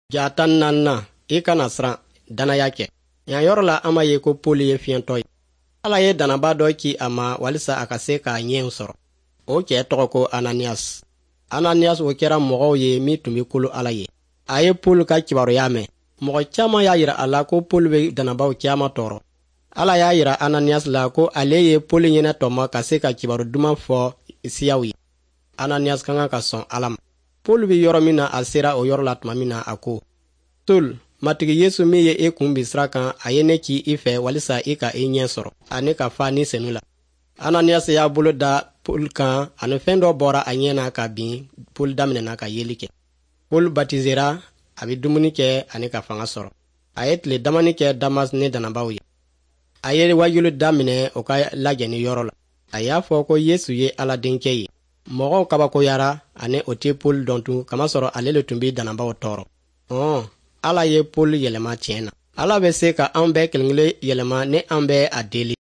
Ja 14nan, i kana siran, dannaya kɛ. Yan yɔrɔ la, an b'a ye ko Poli ye fiyɛntɔ ye. Ala ye dannaba dɔ ci a ma walisa a ka se k'a ɲɛw sɔrɔ. O cɛɛ tɔgɔ ko Ananiyas. Ananiyas, o kɛra mɔgɔw ye min tun bɛ kolo Ala ye. A ye Poli ka kibaruya mɛn. Mɔgɔ caman y'a yira a la ko Poli bɛ dannabaw caman tɔɔrɔ. Ala y'a yira Ananiyas la ko ale ye Poli ɲɛnɛ tɔmɔ ka se ka kibaru duman fɔ siyaw ye. Ananiyas ka kan ka sɔn Ala ma. Poli bɛ yɔrɔ min na, a sera o yɔrɔ la tuma min na, a ko: "Sol, Matigi Yesu min ye e kun bin sira kan, a ye ne ci i fɛ walisa i ka i ɲɛ sɔrɔ ani ka fa Ni Senu la." Ananiyas y'a bolo da Poli kan, ani fɛn dɔ bɔra a ɲɛ na ka bin. Poli daminɛna ka yeli kɛ. Poli batizera, a bɛ dumuni kɛ ani ka fanga sɔrɔ. A ye tile damani kɛ Damas ni dannabaw ye. A ye wajuli daminɛ o ka lajɛni yɔrɔ la. A y'a fɔ ko Yesu ye Ala Denkɛ ye. Mɔgɔw kabakoyara, ani o tɛ Poli dɔn tun, kamasɔrɔ ale le tun bɛ dannabaw tɔɔrɔ. Ɔn, Ala ye Poli yɛlɛma tiɲɛ na. Ala bɛ se ka an bɛɛ kelen kelen yɛlɛma ni an bɛ a deli.